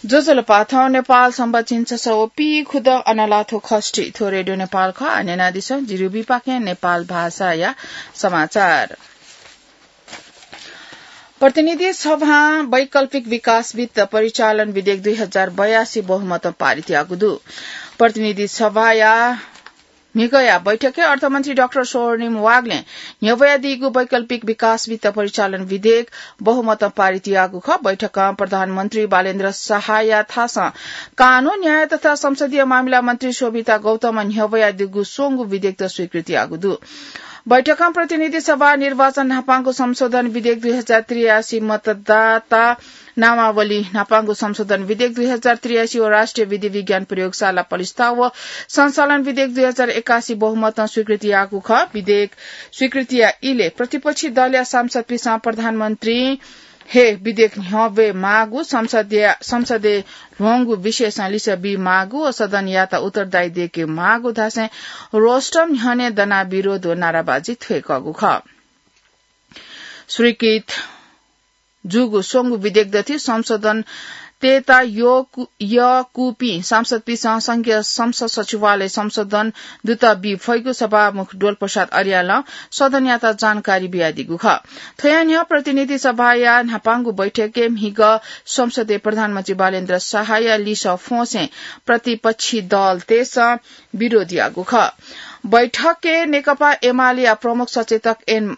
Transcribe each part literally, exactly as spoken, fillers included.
ज्वजलपा, थौं नेपाल संवत् झिंछसः व पीखुदँ अनालाथ्व खष्ठी। थ्व रेडियो नेपाल खः। आः न्यनादिसँ जिरुबीपाखें नेपाल भाषाया समाचार। प्रतिनिधि सभां वैकल्पिक विकास वित्त परिचालन विधेयक दुई हजार बयासी बहुमतं पारित याःगु दु। प्रतिनिधि सभाया म्हिगःया बैठकय् अर्थमन्त्री डाक्टर स्वर्णिम वाग्लें न्ह्यब्वयादीगु वैकल्पिक विकास वित्त परिचालन विधेयक बहुमतं पारित याःगु खः। बैठकं प्रधानमन्त्री बालेन्द्र शाहया थासं कानून, न्याय तथा संसदीय मामिला मन्त्री शोभिता गौतमं न्ह्यब्वयादीगु स्वंगू विधेयकत स्वीकृति याःगु दु। बैठकं प्रतिनिधि सभा निर्वाचन न्हापांगु संशोधन विधेयक दुई हजार त्रियासी, मतदाता नामावली न्हापांगु संशोधन विधेयक दुई हजार त्रियासी व राष्ट्रिय विधि विज्ञान प्रयोगशाला पलिस्था व सञ्चालन विधेयक दुई हजार एकासी बहुमतं स्वीकृति याःगु खः। विधेयक स्वीकृतिया इलय् प्रतिपक्षी दलया सांसदपिसं प्रधानमन्त्री हे विधेयक न्ह्यब्वये माःगु, संसदया, संसदय् ल्ह्वंगु विषयसं लिसः बी माःगु व सदनयात उत्तरदायी दयेके माःगु धासें रोस्ट्रम न्ह्यःने दनाः विरोध व नाराबाजी थ्वय्कःगु खः। स्वीकृत जूगु स्वंगू विधेयक दथुइ संशोधन तयेत यःकु-, यःकूपिं सांसदपिसं संघीय संसद सचिवालय संशोधन दुत बी फइगु सभामुख डोलप्रसाद अर्यालं सदनयात जानकारी बियादीगु खः। थ्वया न्ह्यः प्रतिनिधि सभाया न्हापांगु बैठकय् म्हिगः संसदय् प्रधानमन्त्री बालेन्द्र शाहया लिसः फ्वंसें प्रतिपक्षी दलतय्सं विरोध याःगु खः। बैठकय् नेकपा एमालेया प्रमुख सचेतक एन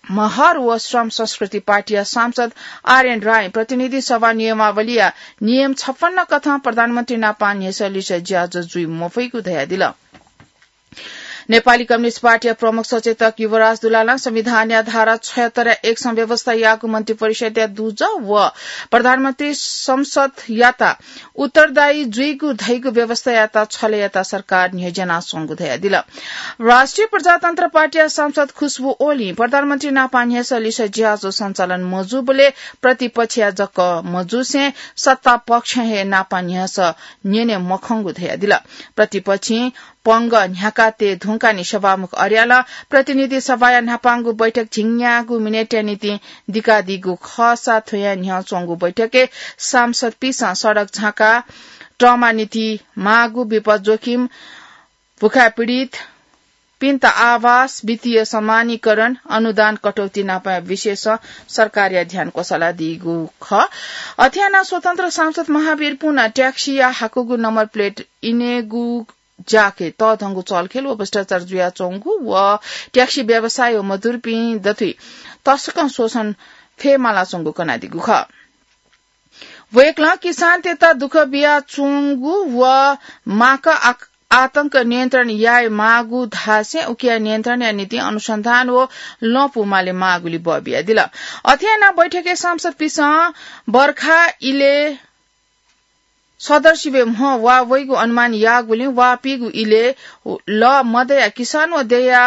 महर व श्रम संस्कृति पार्टीया सांसद आरएन रायं प्रतिनिधि सभा नियमावलीया नियम छप्पन्न कथं प्रधानमन्त्री नापं न्ह्यसः लिसः ज्याझ्वः जुइ मफइगु धयादिल। नेपाली कम्युनिस्ट पार्टीया प्रमुख सचेतक युवराज दुलालं संविधानया धारा छयहत्तर या एकसं व्यवस्था याःगु मन्त्री परिषदया दुजः व प्रधानमन्त्री संसदयात उत्तरदायी जुइगु धइगु व्यवस्थायात छलय् यात सरकार न्ह्यज्यानाच्वंगु धयादिल। राष्ट्रिय प्रजातन्त्र पार्टीया सांसद खुशबु ओलीं प्रधानमन्त्री नापं न्ह्यसः लिसः ज्याझ्वः सञ्चालन मजूबलय् प्रतिपक्षया जक मजूसें सत्तापक्षं हे नापं न्ह्यसः न्यने मखंगु धयादिल। प्रतिपक्षं पंगः न्ह्याका तये धुंकाः नि सभामुख अर्यालं प्रतिनिधि सभाया न्हापांगु बैठक झिंन्यागू मिनेटया निंतिं दिकादीगु खःसा थ्वया न्ह्यः च्वंगु बैठकय् सांसदपिसं सडक झाँका, ट्रमा निंतिं माःगु विपद जोखिम, भुखाय् पीडितपिन्त आवास, वित्तीय समानीकरण, अनुदान कटौती नापंया विषयसं सरकारया ध्यान क्वसालादीगु खः। अथे यानाः स्वतन्त्र सांसद महावीर पुनं ट्याक्सीया हाकुगु नम्बर प्लेट इनेगु ज्याखँय् तःधंगु चलखेल व भ्रष्टाचार जुयाच्वंगु व ट्याक्सी व्यवसायी व मजदुरपिं दथुइ तसकं शोषण फयेमालाच्वंगु कनादीगु खः। वय्कलं किसानतय्त दुःख बियाच्वंगु व माका आ-, आतंक नियन्त्रण याये माःगु धासें उकिया नियन्त्रणया निंतिं अनुसन्धान व लँपु माले माःगुली बः बियादिल। अथे यानाः बैठकय् सांसदपिसं बर्खा इलय् सदर सिबय् म्ह वा वइगु अनुमान याःगुलिं वा पीगु इलय् लः मदयाः किसान व देय्या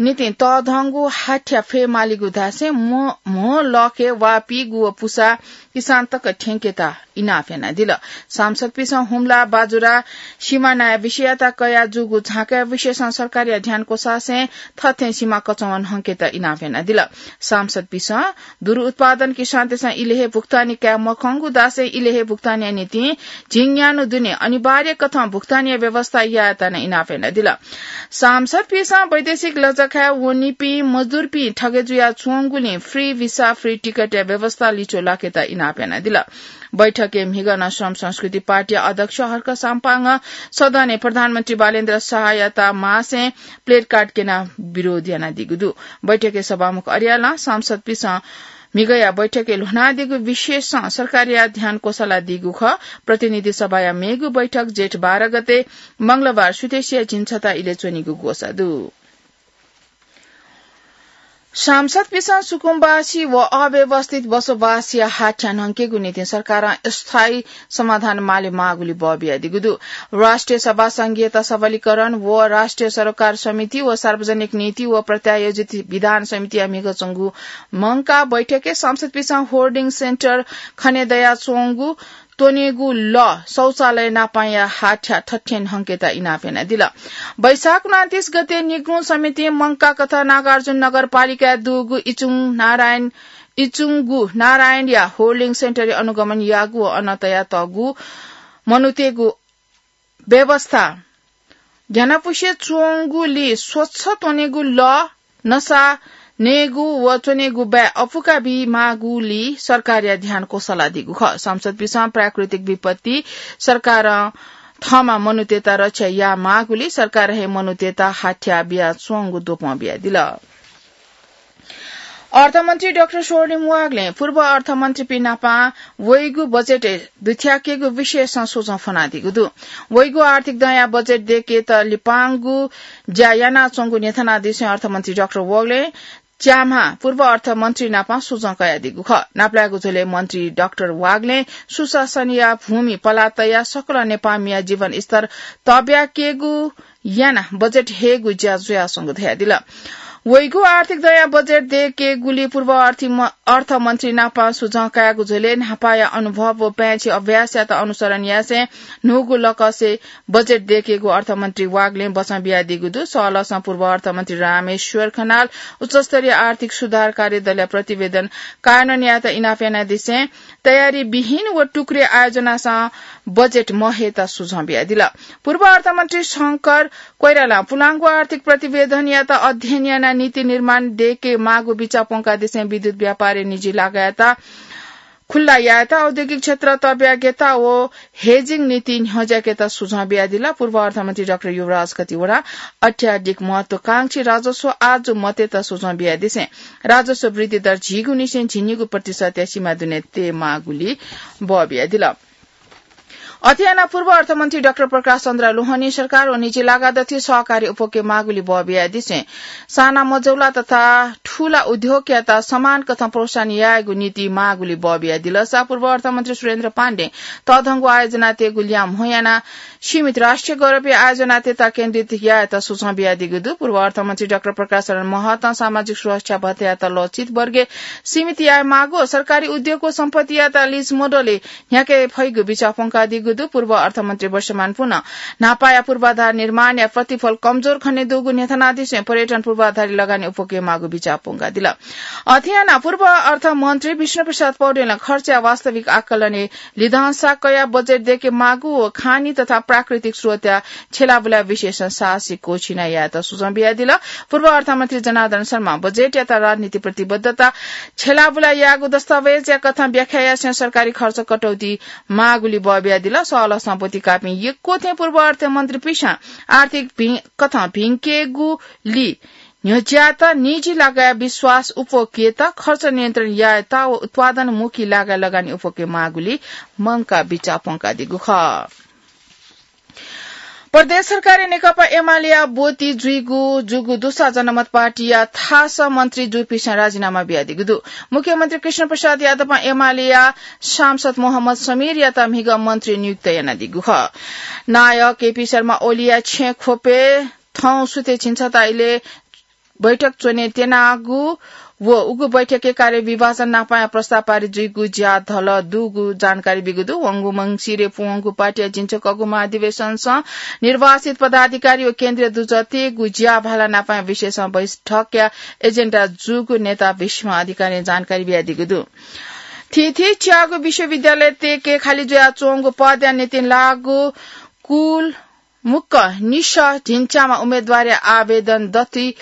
निंतिं तःधंगु हाथ्या फयेमालीगु धासें म्ह, म्ह लःखय् वा पीगु व पुसा किसान तक थ्यंकेत इनाप यानादिल। सांसदपिसं हुम्ला बाजुरा सिमानाया विषययात कयाः जूगु झाँकाया विषयसं सरकारया ध्यान क्वसासें थथें सिमा कचंवन हंकेत इनाप यानादिल। सांसदपिसं दुरु उत्पादन किसानतय्सं इलय् हे भुक्तानी काये मखंगु धासें इलय् हे भुक्तानीया निंतिं झिंन्यान्हु दुने अनिवार्य कथं भुक्तानीया व्यवस्था यायेत नं इनाप यानादिल। सांसदपिसं वैदेशिक लजखाय् वनीपिं मजदुरपिं थगे जुयाच्वंगुलिं free visa, free ticket या व्यवस्था लिच्वः लाकेत इनाप यानादिल। बैठकय् म्हिगः नं श्रम संस्कृति पार्टीया अध्यक्ष हर्क साम्पाङं सदनय् प्रधानमन्त्री बालेन्द्र शाहयात मासें placard क्यनाः विरोध यानादीगु दु। बैठकय् सभामुख अर्यालं सांसदपिसं म्हिगःया बैठकय् ल्ह्वनादीगु विषयसं सरकारया ध्यान क्वसालादीगु खः। प्रतिनिधि सभाया मेगु बैठक जेठ बाह्र गते मंगलबार सुथसिया झिंछता इलय् च्वनीगु ग्वसाः दु। सांसदपिसं सुकुम्बासी व अव्यवस्थित बसोबासया हाथ्या न्हंकेगु निंतिं सरकारं स्थायी समाधान माले माःगुली बः बियादीगु दु। राष्ट्रिय सभा संघीयता सबलीकरण व राष्ट्रिय सरोकार समिति व सार्वजनिक नीति व प्रत्यायोजित विधान समितिया म्हिगः च्वंगु मंकाः बैठकय् सांसदपिसं hoarding centre खने दयाच्वंगु त्वनेगु लः शौचालय नापांया हाथ्या थथें न्हंकेत इनाप यानादिल। वैशाख उनान्तिस गते निगू समितिं मंकाः कथं नागार्जुन नगरपालिकाय् दुगु इचुङ नारायण इचुंगु नारायणया होल्डिङ सेन्टरय् अनुगमन याःगु व अन तयातःगु मनूतय्‌गु व्यवस्था ग्यानापुसे च्वंगुलिं स्वच्छ त्वनेगु लः, नसा नयेगु व च्वनेगु बाय् अपुका बीमाःगुलिं सरकारया ध्यान क्वसलादीगु खः। सांसदपिसं प्राकृतिक विपत्ति सरकारं थःम्हं मनूतय्‌त रक्षा यायेमाःगुलिं सरकारं हे मनूतय्‌त हाथ्या बियाच्वंगु द्वपं बियादिल। अर्थमन्त्री डाक्टर स्वर्णिम वाग्लें पूर्व अर्थमन्त्रीपिं नाप वइगु बजेट दुथ्याकेगु विषयसं सुझाव फ्वनादीगु दु। वइगु आर्थिक दँया बजेट दयेकेत लिपांगु ज्या यानाच्वंगु न्ह्यथनादिसें अर्थमन्त्री डाक्टर वाग्लें च्याम्हा पूर्व अर्थमन्त्री नाप सुझाव कयादीगु खः। नापलायेगु झ्वलय् मन्त्री डाक्टर वाग्लें सुशासनया भूमि पला तयाः सकल नेपाःमिया जीवनस्तर तब्याकेगु यानाः बजेट हयेगु ज्या जुयाच्वंगु धयादिल। वइगु आर्थिक दँया बजेट दयेकेगुलिं पूर्व अर्थि-, अर्थमन्त्री नाप सुझाव कयागु झ्वलय् न्हापाया अनुभव व पाय्छि अभ्यासयात अनुसरण यासें न्हूगु लकसे बजेट दयेकेगु अर्थमन्त्री वाग्लें बचं बियादीगु दु। सहलहसं पूर्व अर्थमन्त्री रामेश्वर खनाल उच्चस्तरीय आर्थिक सुधार कार्यदलया प्रतिवेदन कार्यान्वयन यायेत इनाप यानादिसें तयारी विहीन व टुक्रे आयोजनासं बजेट महयेत सुझाव बियादिल। पूर्व अर्थमन्त्री शंकर कोइरालां पुलांगु आर्थिक प्रतिवेदनयात अध्ययन यानाः नीति निर्माण दयेकेमाःगु बिचाः प्वंकादिसें विद्युत व्यापारय् निजी लागायात खुल्ला यायेत, औद्योगिक क्षेत्र तब्याकेत व hedging नीति न्ह्यज्याकेत सुझाव बियादिल। पूर्व अर्थमन्त्री डाक्टर युवराज खतिवडा अत्याधिक महत्वाकांक्षी राजस्व आजु मतेत सुझाव बियादिसें राजस्व वृद्धि दर झिगूनिसें झिंनिगू प्रतिशतया सीमा दुने तयेमाःगुलिं बः बियादिल। अथे यानाः पूर्व अर्थमन्त्री डाक्टर प्रकाश चन्द्र लोहनी सरकार व निजी लागादथि सहकारी उप्वकेमाःगुलिं बः बियादिसें साना मझौला तथा ठूला उद्योगयात समान कथं प्रोत्साहन यायेगु नीति माःगुलिं बः बियादिल। सा पूर्व अर्थमन्त्री सुरेन्द्र पाण्डें तःधंगु आयोजना तयेगु ल्याः म्हो यानाः सीमित राष्ट्रिय गौरवया आयोजना तयेत केन्द्रित यायेत सुझाव बियादीगु दु। पूर्व अर्थमन्त्री डाक्टर प्रकाश शरण महतं सामाजिक सुरक्षा भत्तायात लचित वर्गय् सीमित यायेमाःगु, सरकारी उद्योग व सम्पत्तियात लीज मोडलय् न्ह्याके फइगु बिचाः प्वंकादीगु दु। पूर्व अर्थमन्त्री वर्षमान पुनं न्हापाया पूर्वाधार निर्माणया प्रतिफल कमजोर खने दुगु न्ह्यथनादिसें पर्यटन पूर्वाधारय् लगानी उप्वकेमाःगु बिचाः प्वंकादिल। अथे यानाः पूर्व अर्थमन्त्री विष्णुप्रसाद पौडेलं खर्चया वास्तविक आकलनय् लिधंसा कयाः बजेट दयेकेमाःगु व खानी तथा प्राकृतिक स्रोतया छ्यलाबुला विषयसं साहसिक क्वःछिना यायेत सुझाव बियादिल। पूर्व अर्थमन्त्री जनार्दन शर्मां बजेटयात राजनीतिक प्रतिबद्धता छ्यलाबुला याःगु दस्तावेजया कथं व्याख्या यासें सरकारी खर्च कटौती माःगुलिं बः बियादिल। सहलह सम्पत्ति काःपिं यक्व थें पूर्व अर्थमन्त्रीपिसं आर्थिक भि-, कथं भिंकेगुलिं न्ह्यज्यात निजी लागाया विश्वास उप्वकेत खर्च नियन्त्रण यायेत व उत्पादनमुखी लागाय् लगानी उप्वकेमाःगुलिं मंकाः बिचाः प्वंकादीगु खः। प्रदेश सरकारय् नेकपा एमालेया ब्वति जुइगु जूगु दुसा जनमत पार्टीया थासं मन्त्री जूपिसं राजीनामा बियादीगु दु। मुख्यमन्त्री कृष्ण प्रसाद यादवं एमालेया सांसद मोहम्मद समीरयात म्हिगः मन्त्री नियुक्त यानादीगु खः। नायः केपी शर्मा ओलीया छेँ ख्वपय् थौं सुथय् झिंछता इलय् बैठक च्वने त्यनागु व उगु बैठकय् कार्य विभाजन नापं प्रस्ताव पारित जुइगु ज्या धल दुगु जानकारी बीगु दु। वंगु मंसिरय् पूवंगु पार्टीया झिंछकःगु महाधिवेशनसं निर्वाचित पदाधिकारी व केन्द्रीय दुजः तयेगु ज्या भाला नापं विशेष बैठकया एजेन्डा जूगु नेता भीष्म अधिकारीं जानकारी बियादीगु दु। थीथी च्यागू विश्वविद्यालय तयेके खालि जुयाच्वंगु पदया निंतिं लाःगु कुल मुक्क निसः झिंच्याम्ह उम्मेदवारया आवेदन दथुइ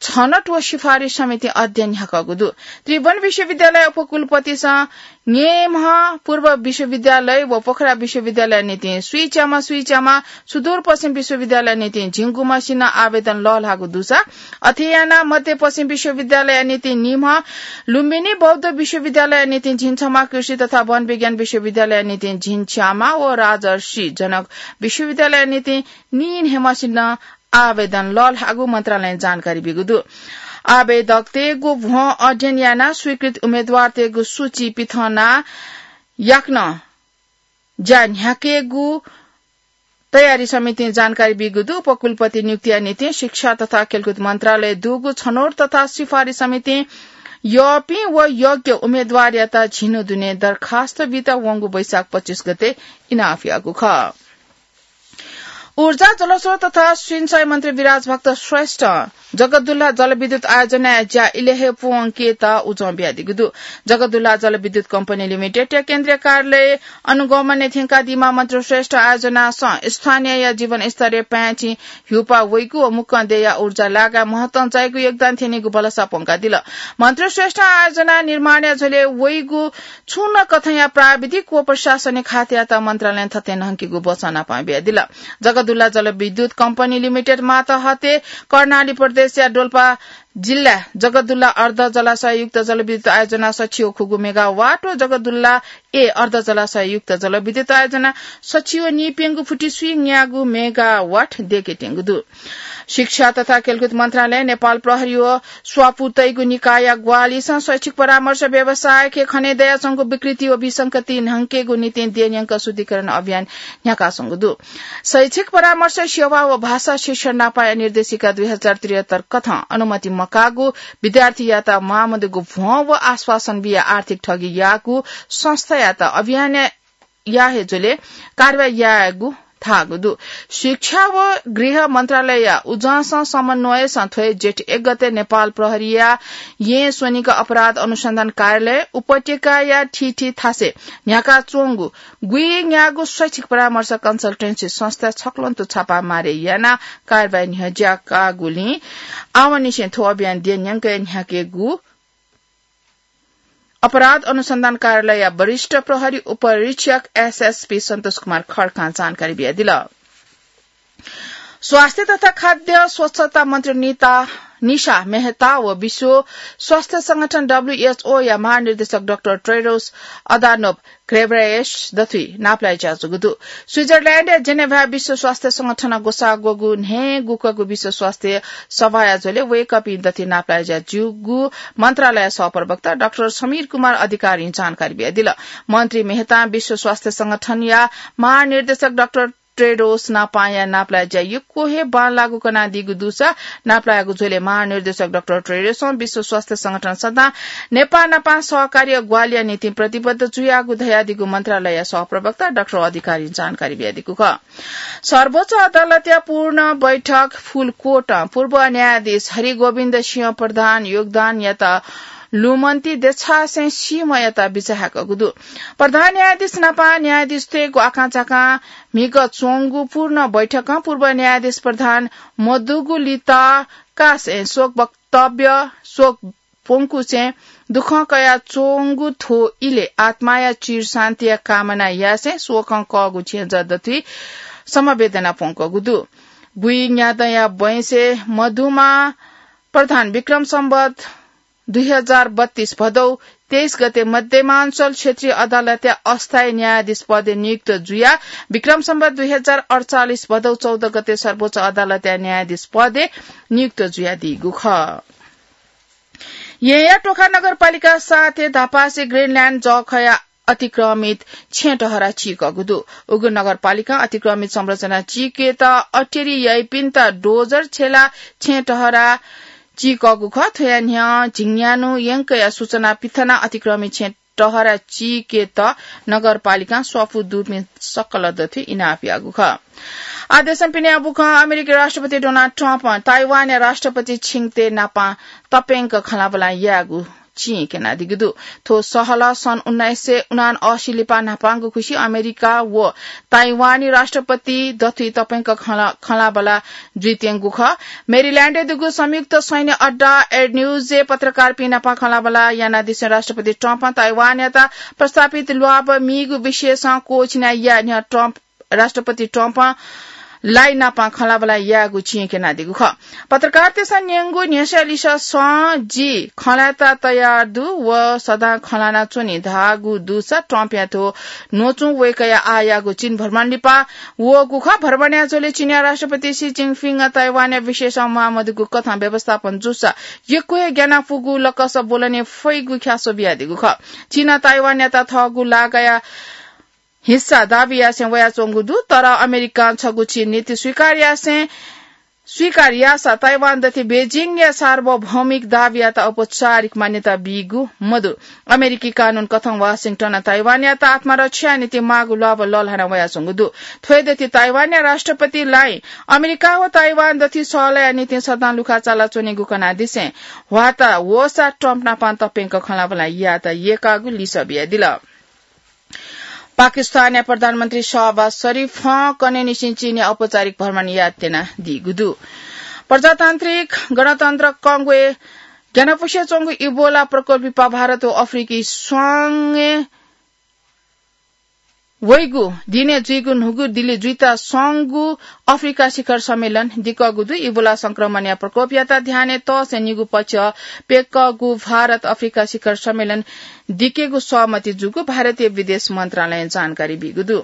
छनौट व सिफारिस समितिं अध्ययन न्ह्याकागु दु। त्रिभुवन विश्वविद्यालय उपकुलपतिसं न्येम्ह पूर्व विश्वविद्यालय व पोखरा विश्वविद्यालय निंतिं स्वीच्याम्ह स्वीच्याम्ह, सुदूरपश्चिम विश्वविद्यालय निंतिं झिंगुम्हसिनं आवेदन लःल्हाःगु दुसा, अथे यानाः मध्यपश्चिम विश्वविद्यालय निंतिं निम्ह, लुम्बिनी बौद्ध विश्वविद्यालय निंतिं झिंछम्ह, कृषि तथा वन विज्ञान विश्वविद्यालय निंतिं झिंच्याम्ह व राजर्षि जनक विश्वविद्यालय निंतिं नीन्हय्‌म्हसिनं आवेदन लःल्हाःगु मन्त्रालयं जानकारी बीगु दु। आवेदकतय्‌गु भ्वं अध्ययन यानाः स्वीकृत उम्मेदवारतय्‌गु सूची पिथंना याकनं ज्या न्ह्याकेगु तयारी समितिं जानकारी बीगु दु। उपकुलपति नियुक्तिया निंतिं शिक्षा तथा खेलकुद मन्त्रालय दुगु छनौट तथा सिफारिस समितिं यःपिं व योग्य उम्मेदवारयात झिन्हु दुने दरखास्त बीत वंगु वैशाख पच्चिस गते इनाप याःगु खः। ऊर्जा, जलस्रोत तथा सिंचाई मन्त्री विराज भक्त श्रेष्ठ जगतदुल्ला जलविद्युत आयोजनाया ज्या इलय् हे पूवंकेत उजं बियादीगु दु। जगतदुल्ला जलविद्युत कम्पनी लिमिटेडया केन्द्रीय कार्यालय अनुगमनय् थ्यंकादीम्ह मन्त्री श्रेष्ठ आयोजनासं स्थानीयया जीवनस्तरय् पाय्‌छि ह्यूपाः वइगु व मुक्कं देय्‌या ऊर्जा लागाय् महत्वं चाइगु योगदान थ्यनीगु भलसा प्वंकादिल। मन्त्री श्रेष्ठ आयोजना निर्माणया झ्वलय् वइगु छुं नं कथंया प्राविधिक व प्रशासनिक खातयात मन्त्रालयं थथे न्हंकेगु वचं नापं बियादिल। जगतदुल्ला जलविद्युत कम्पनी लिमिटेड मातहते कर्णाली प्रदेशया डोल्पा जिल्ला जगतदुल्ला अर्ध जलाशययुक्त जलविद्युत आयोजना सछि व खुगू मेगावाट व जगतदुल्ला ए अर्ध जलाशययुक्त जलविद्युत आयोजना सछि व नीप्यंगू फुति स्वीन्यागू मेगावाट देके त्यंगु दु। शिक्षा तथा खेलकुद मन्त्रालय, नेपाल प्रहरी व स्वापू तइगु निकायया ग्वाहालिसं शैक्षिक परामर्श व्यवसायके खने दयाच्वंगु विकृति व विसंगति न्हंकेगु निंतिं देय्‌न्यंक शुद्धिकरण अभियान न्ह्याकाच्वंगु दु। शैक्षिक परामर्श सेवा व भाषा शिक्षण नापाया निर्देशिका दुई हजार त्रिहत्तर कथं अनुमति मकाःगु, विद्यार्थीयात माःमदुगु भ्वं व आश्वासन बिया आर्थिक ठगी याःगु संस्थायात अभियान या हे झ्वलय् कारवाही यायेगु धाःगु दु। शिक्षा व गृह मन्त्रालयया उजंसं समन्वयसं थ्व हे जेठ एक गते नेपाल प्रहरीया येँ स्वनिक अपराध अनुसन्धान कार्यालय उपत्यकाया थीथी थासय् न्ह्याकाच्वंगु गुइन्यागू शैक्षिक परामर्श कन्सल्टेन्सी संस्था छक्वंतु छापा मारे यानाः कारवाही न्ह्यज्याकागुलिं आवंनिसें थ्व अभियान देय्‌न्यंक न्ह्याकेगु अपराध अनुसन्धान कार्यालयया वरिष्ठ प्रहरी उपरीक्षक एसएसपी सन्तोष कुमार खड्कां जानकारी बियादिल। स्वास्थ्य तथा खाद्य स्वच्छता मन्त्री निता, निशा मेहता व विश्व स्वास्थ्य संगठन डब्ल्यूएचओया महानिर्देशक डाक्टर टेड्रोस अधानोम घेब्रेयेसस दथुइ नापलाये ज्याजूगु दु। स्विजरल्याण्डया जेनेभाय् विश्व स्वास्थ्य संगठनं ग्वसाः ग्वःगु न्हय्‌गुकःगु विश्व स्वास्थ्य सभाया झ्वलय् वय्‌कःपिं दथुइ नापलाये ज्याजूगु मन्त्रालय सहप्रवक्ता डाक्टर समीर कुमार अधिकारीं जानकारी बियादिल। मन्त्री मेहतां विश्व स्वास्थ्य संगठनया महानिर्देशक डाक्टर टेड्रोस नापाया नापलाये ज्या यक्व हे बांलाःगु कनादीगु दुसा नापलायेगु झ्वलय् महानिर्देशक डाक्टर टेड्रोसं विश्व स्वास्थ्य संगठन सदां नेपाः नापं सहकार्य ग्वाहालिया निंतिं प्रतिबद्ध जुयागु धयादीगु मन्त्रालय सहप्रवक्ता डाक्टर अधिकारीं जानकारी बियादीगु खः। सर्वोच्च अदालतया पूर्ण बैठक फुलकोटं पूर्व न्यायाधीश हरिगोविन्द सिंह प्रधान योगदानयात लुमन्ति देछासें सीम्हयात बिचाः याकूगु दु। प्रधान न्यायाधीश नापं न्यायाधीशतय्‌गु आकांक्षाकां म्हिगः च्वंगु पूर्ण बैठकं पूर्व न्यायाधीश प्रधान मदुगु लिता कासें शोक वक्तव्य, शोक प्वंकुसें दुःखं कयाच्वंगु थ्व इलय् आत्माया चिर शान्तिया कामना यासें शोकं कःगु छेँजः दथुइ समवेदना प्वंकूगु दु। गुइन्यादँया बैंसय् मधुमा प्रधान विक्रम सम्वत दुई हजार बत्तीस भदौ तेइस गते मध्यमाञ्चल क्षेत्रीय अदालतया अस्थायी न्यायाधीश पदय् नियुक्त जुयाः विक्रम सम्वत दुई हजार अडचालिस भदौ चौध गते सर्वोच्च अदालतया न्यायाधीश पदय् नियुक्त जुयादीगु खः। येँया टोखा नगरपालिका सातय् धापासे ग्रिनल्याण्ड जःखया अतिक्रमित छेँ टहरा चीकःगु दु। उगु नगरपालिकां अतिक्रमित संरचना चीकेत अटेरी याइपिन्त डोजर छेला छेँ टहरा चीकःगु खः। थ्वया न्ह्यः झिंन्यान्हु यंकया सूचना पिथनाः अतिक्रमित छेँ टहरा चीकेत नगरपालिकां स्वापू दुपिं सकल दथुइ इनाप याःगु खः। आः देशं पिने बुखं अमेरिकी राष्ट्रपति डोनाल्ड ट्रम्पं ताइवानया राष्ट्रपति छिङते नापं तप्यंक खँल्हाबल्हा यायेगु चिं क्यनादीगु दु। थ्व सहलह सन् उन्नाइस सय उनासी लिपा न्हापांगु खुसि अमेरिका व ताइवानी राष्ट्रपति दथुइ तप्यंक खँल्हा-, खँल्हाबल्हा जुइत्यंगु खः। मेरील्याण्डय् दुगु संयुक्त सैन्य अड्डा एन्ड्र्यूजय् पत्रकारपिं नाप खँल्हाबल्हा यानादिसें राष्ट्रपति ट्रम्पं ताइवानयात प्रस्तावित ल्वाभ मीगु विषयसं क्वःछिना याये न्ह्यः ट्रम्प राष्ट्रपति ट्रम्पं लाई नाप खँल्हाबल्हा यायेगु चिं क्यनादीगु खः। पत्रकारतय्सं न्यंगु न्ह्यसः लिसःसं जि खँल्हायेत तयार दु व सदां खँल्हानाच्वनी धाःगु दुसा ट्रम्पया थ्व न्वचुं वय्कःया आःयागु चीन भ्रमण लिपा वःगु खः। भ्रमणया झ्वलय् चीनया राष्ट्रपति सी जिनपिंगं ताइवानया विषयसं म्वाःमदुगु कथं व्यवस्थापन जूसा यक्व हे ग्यानापुगु लकस ब्वलने फइगु ख्यासो बियादीगु खः। चीनं ताइवानयात थःगु लागाया हिस्सा दाबी यासें वयाच्वंगु दु, तर अमेरिकां छगू चीन नीति स्वीकार यासें स्वीकार याःसा ताइवान दथि बेजिङया सार्वभौमिक दावीयात औपचारिक मान्यता बीगु मदु। अमेरिकी कानून कथं वाशिंटनं ताइवानयात आत्मरक्षाया निंतिं माःगु ल्वाभः लःल्हाना वयाच्वंगु दु। थ्व दथि ताइवानया राष्ट्रपतिलाइ अमेरिका व ताइवान दथि सहलया निंतिं सदां लुखाचाला च्वनीगु कनादिसें ह्वाता वःसा ट्रम्प नापं तप्यंक खँल्हाबल्हा यायेत यय्कागु लिसः बियादिल। पाकिस्तानया प्रधानमन्त्री शहबाज शरीफं कन्हय्‌निसें चीनय् औपचारिक भ्रमण यात्रा यानादीगु दु। प्रजातान्त्रिक गणतन्त्र कंगोय् ग्यानापुसे च्वंगु इबोला प्रकोप लिपा भारत व अफ्रिकी स्वांगे वइगु दिनय् जुइगु न्हूगु दिल्ली जुइत स्वंगु अफ्रिका शिखर सम्मेलन दिकःगु दु। इबोला संक्रमणया प्रकोपयात ध्यानय् तःसें निगू पक्ष प्यकःगु भारत अफ्रिका शिखर सम्मेलन दिकेगु सहमति जूगु भारतीय विदेश मन्त्रालयं जानकारी बीगु दु।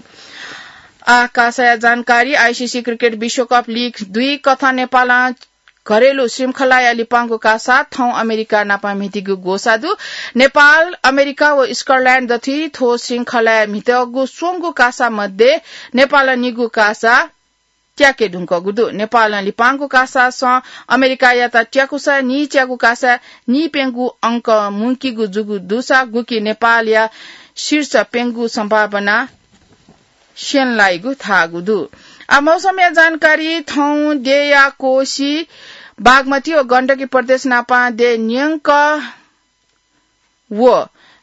आकाशया जानकारी। आईसीसी क्रिकेट विश्वकप लीग दुई कथं नेपालं घरेलु श्रृंखलाया लिपांगु कासा थौं अमेरिका नाप म्हितीगु ग्वसाः दु। नेपाल, अमेरिका व स्कटल्याण्ड दथुइ थ्व श्रृंखलाया म्हितःगु स्वंगु कासा मध्ये नेपालं निगू कासा त्याके धुंकूगु दु। नेपालं लिपांगु कासासं अमेरिकायात त्याकूसा नीच्यागु कासा नीप्यंगु अंक मुंकीगु जूगु दुसा गुकी नेपालया शीर्ष प्यंगु सम्भावना स्यंलाइगु धाःगु दु। आ, मौसमया जानकारी। थौं देया कोशी, बागमती व गण्डकी प्रदेश नापं दे न्यंक व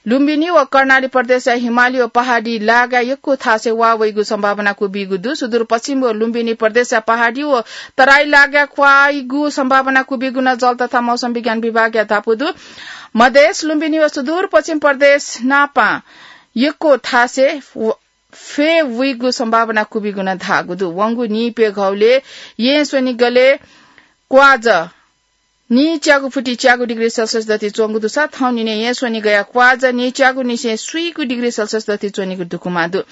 लुम्बिनी व कर्णाली प्रदेशया हिमाली व पहाडी लागाय् यक्व थासय् वा वइगु सम्भावना क्वबीगु दु। सुदूरपश्चिम व लुम्बिनी प्रदेशया पहाडी व तराई लागाय् क्वाइगु सम्भावना क्वबीगु नं जल तथा मौसम विज्ञान विभागया धापू दु। मधेस, लुम्बिनी व सुदूरपश्चिम प्रदेश नापं यक्व थासय् व फय् वइगु सम्भावना क्वबीगु नं धाःगु दु। वंगु नीप्यघौलय् येँ स्वनिगलय् क्वाज नीच्यागु फुति च्यागु डिग्री सेल्सियस दथुइ च्वंगु दुसा थौं निने येँ स्वनिगया क्वाज नीच्यागु निसें स्वीगु डिग्री सेल्सियस दथुइ च्वनीगु दुकुमा दु।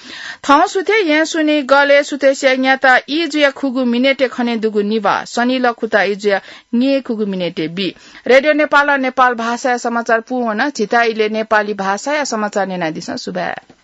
थौं सुथय् येँ स्वनिगलय् सुथसिया न्याता ई जुया खुगू मिनेटय् खने दुगु निभाः, सनिल खुता ई जुया न्येखुगू मिनेटय् बी। रेडियो नेपालं नेपाल भाषाया समाचार पूवन। झीत इलय् नेपाली भाषाया समाचार न्यनादिसँ। सुभाय्।